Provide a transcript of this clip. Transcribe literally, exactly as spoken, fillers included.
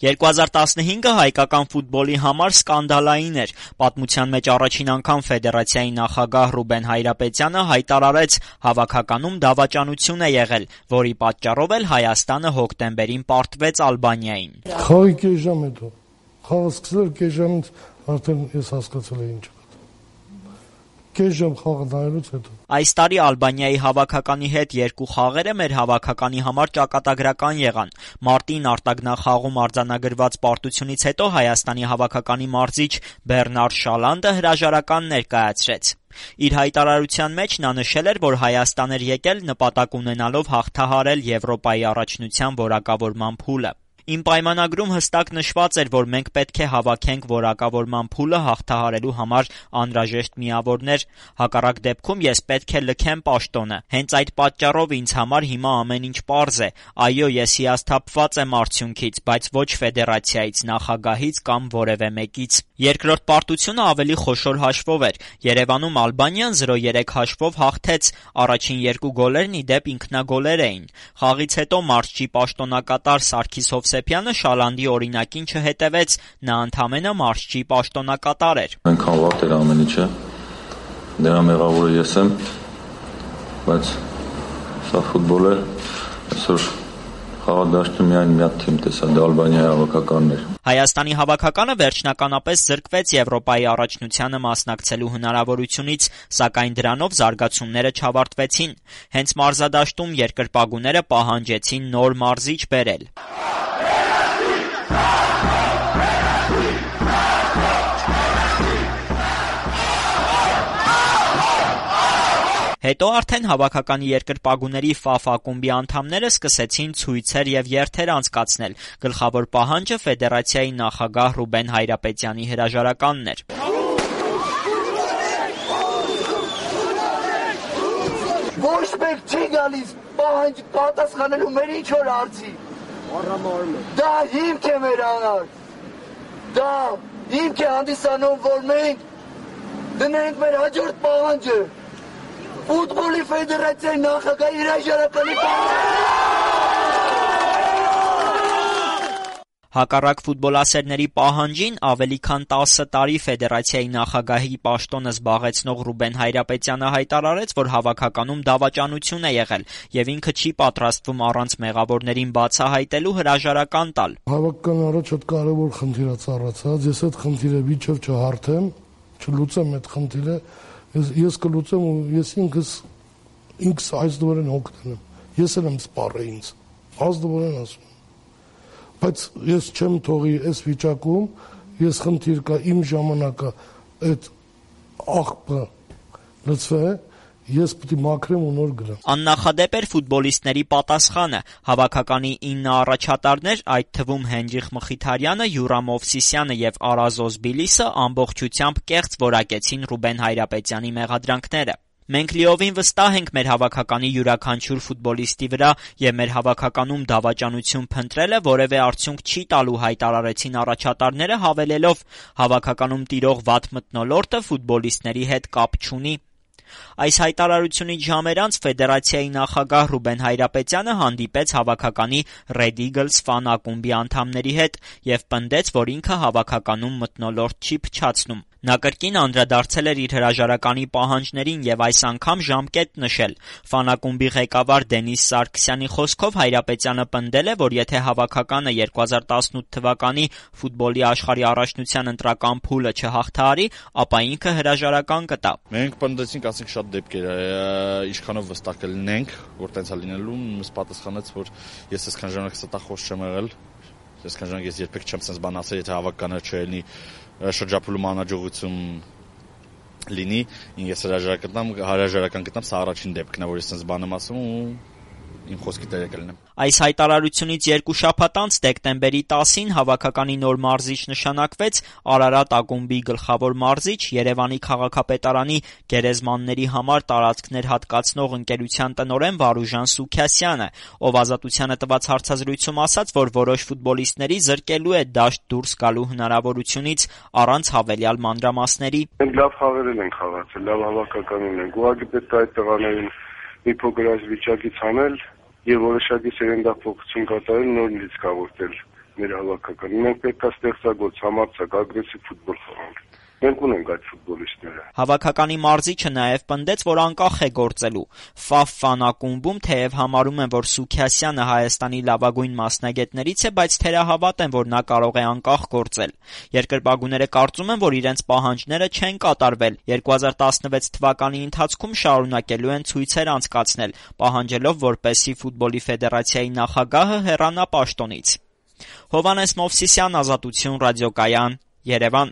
երկու հազար տասնհինգը հայկական ֆուտբոլի համար սկանդալային էր։ Պատմության մեջ առաջին անգամ ֆեդերացիայի նախագահ Ռուբեն Հայրապետյանը հայտարարեց՝ հավաքականում դավաճանություն է եղել, որի պատճառով էլ Հայաստանը հոկտեմբերին պարտվեց Ալբանիային։ Խաղի կես ժամ հետո, խաղը սկսել կես ժամից արդեն ես հասկացել եմ ինչ։ Կես ժամ խաղը նայելուց հետո։ Այս տարի Ալբանիայի հավաքականի հետ երկու խաղերը մեր հավաքականի համար ճակատագրական եղան։ Մարտին արտագնախաղում արձանագրված պարտությունից հետո Հայաստանի հավաքականի մարզիչ Բեռնար Շալանդը հրաժարական ներկայացրեց։ Իր հայտարարության մեջ նա նշել էր, որ Հայաստան էր եկել նպատակ ունենալով հաղթահարել Եվրոպայի առաջնության որակավորման փուլը։ Իմ պայմանագրում հստակ նշված էր, որ մենք պետք է հավաքենք որակավորման փուլը հաղթահարելու համար անհրաժեշտ միավորներ, հակառակ դեպքում ես պետք է լքեմ պաշտոնը։ Հենց այդ պատճառով ինձ համար հիմա ամեն ինչ պարզ է։ Այո, ես հիասթափված եմ արդյունքից, բայց ոչ ֆեդերացիայից, նախագահից կամ որևէ մեկից։ Երկրորդ պարտությունը ավելի խոշոր հաշվով էր։ Երևանում Ալբանիան զրո երեք հաշվով հաղթեց, առաջին երկու գոլերն ի դեպ ինքնագոլեր էին։ Խաղից հետո մարզչի պաշտոնակատար Սարգիս Հովսեփյանը Շալանդի օրինակին չհետևեց, նա ընդամենը մարզչի պաշտոնակատար էր։ Այնքան վատ էր ամեն ինչը, դրա մեղավորը ես եմ, բայց սա ֆուտբոլ է, այսօր խաղադաշտում միայն մի հատ թիմ տեսա, դա Ալբանիայի հավաքականն էր։ Հայաստանի հավաքականը վերջնականապես զրկվեց Եվրոպայի առաջնությանը մասնակցելու հնարավորությունից, սակայն դրանով զարգացումները չավարտվեցին։ Հենց մարզադաշտում երկրպագուները պահանջեցին նոր մարզիչ բերել։ Հետո արդեն հավաքականի երկրպագուների Ֆ Ֆ ակումբի անդամները սկսեցին ցույցեր եւ երթեր անցկացնել։ Գլխավոր պահանջը ֆեդերացիայի նախագահ Ռուբեն Հայրապետյանի հրաժարականն էր։ Ոչ մեկ չի գալիս պահանջ պատասխանելու մեր ինչ որ արծի։ Դա հիմք է մեր համար։ Դա հիմք է հանդիսանում, որ մենք դնենք մեր հաջորդ պահանջը։ Ֆուտբոլի ֆեդերացիայի նախագահի հրաժարականի Հակառակ ֆուտբոլասերների պահանջին ավելի քան տասը տարի ֆեդերացիայի նախագահի պաշտոնը զբաղեցնող Ռուբեն Հայրապետյանը հայտարարեց, որ հավաքականում դավաճանություն է եղել եւ ինքը չի պատրաստվում առանց մեղավորներին բացահայտելու հրաժարական տալ։ Հավաքականի առաջ շատ կարևոր խնդիր է ծառացած, ես այդ խնդիրը վիճով չհարթեմ, չլուծեմ այդ խնդիրը, ես ես կլուծեմ ու ես ինքս ինքս այս դուրեն հոգնեմ։ Ես եմ սպառել ինձ։ Ազդուրեն ասում։ Բայց ես չեմ թողի այս վիճակում, ես խնդիր կա իմ ժամանակը այդ աղբը լծվե, ես պետք է մաքրեմ ու նոր գնամ։ Աննախադեպ էր ֆուտբոլիստների պատասխանը։ Հավաքականի ինը առաջատարներ, այդ թվում Հենրիխ Մխիթարյանը, Յուրամ Օվսիսյանը եւ Արազոզ Բիլիսը ամբողջությամբ կեղծ որակեցին Ռուբեն Հայրապետյանի մեղադրանքները։ Մենք լիովին վստահ ենք մեր հավաքականի յուրաքանչյուր ֆուտբոլիստի վրա եւ մեր հավաքականում դավաճանություն փնտրելը որևէ արդյունք չի տալու, հայտարարեցին առաջատարները, հավելելով հավաքականում տիրող վատ մթնոլորտը ֆուտբոլիստների հետ կապ չունի։ Այս հայտարարությունից ժամեր անց ֆեդերացիայի նախագահ Ռուբեն Հայրապետյանը հանդիպեց հավաքականի Red Eagles ֆան ակումբի անդամների հետ եւ պնդեց, որ ինքը հավաքականում մթնոլորտ չի փչացնում։ Նա կրկին անդրադարձել էր իր հրաժարականի պահանջներին եւ այս անգամ ժամկետ նշել։ Ֆան ակումբի ղեկավար Դենիս Սարգսյանի խոսքով Հայրապետյանը պնդել է, որ եթե հավաքականը երկու հազար տասնութ թվականի ֆուտբոլի աշխարհի առաջնության ընտրական փուլը չհաղթահարի, ապա ինքը հրաժարական կտա։ Մենք պնդեցինք, ասենք շատ դեպքեր, ինչքանով վստահ կլինենք, որ տենց է լինելու, ինձ պատասխանեց, որ ես այսքան ժամանակ ստախոս չեմ եղել, այսքան ժամանակ ես երբեք չեմ sense բան ասել, եթե հավաքականը չելնի շրջափուլում անհաջողություն լինի, ես հրաժարական հրաժարական գտնամ, սա առաջին դեպքն է, որ ես sense բան եմ ասում ու իմ խոսքի տերը կլինեմ։ Այս հայտարարությունից երկու շաբաթ անց դեկտեմբերի տասին հավաքականի նոր մարզիչ նշանակվեց Արարատ ակումբի գլխավոր մարզիչ, Երևանի քաղաքապետարանի գերեզմանների համար տարածքներ հատկացնող ընկերության տնօրեն Վարուժան Սուքյասյանը, ով Ազատությանը տված հարցազրույցում ասաց, որ որոշ ֆուտբոլիստների զրկելու է դաշտ դուրս գալու հնարավորությունից առանց հավելյալ մանրամասների։ Մենք լավ խաղեր ենք խաղացել, լավ հավաքականին ենք, ուղղակի պետք է այդ տղաներին մի փոքր այս վիճակից հանել եւ որոշակի սերնդափոխություն կատարել, նոր լիցքավորել։ մեր հավաքականի։ Մենք պետք է ստեղծագործ, համարձակ, ագրեսիվ ֆուտբոլ խաղանք։ Մենք ունենք այդ ֆուտբոլիստները։ Հավաքականի մարզիչը նաև պնդեց, որ անկախ է գործելու։ Ֆաֆ ֆանակումբում թեև համարում են, որ Սուքիասյանը Հայաստանի լավագույն մասնագետներից է, բայց թերահավատ են, որ նա կարող է անկախ գործել։ Երկրպագուները կարծում են, որ իրենց պահանջները չեն կատարվել։ երկու հազար տասնվեց թվականի ընթացքում շարունակելու են ցույցեր անցկացնել, պահանջելով, որպեսզի ֆուտբոլի ֆեդերացիայի նախագահը հեռանա պաշտոնից։ Հովհաննես Մովսիսյան, Ազատություն ռադիոկայան, Երևան։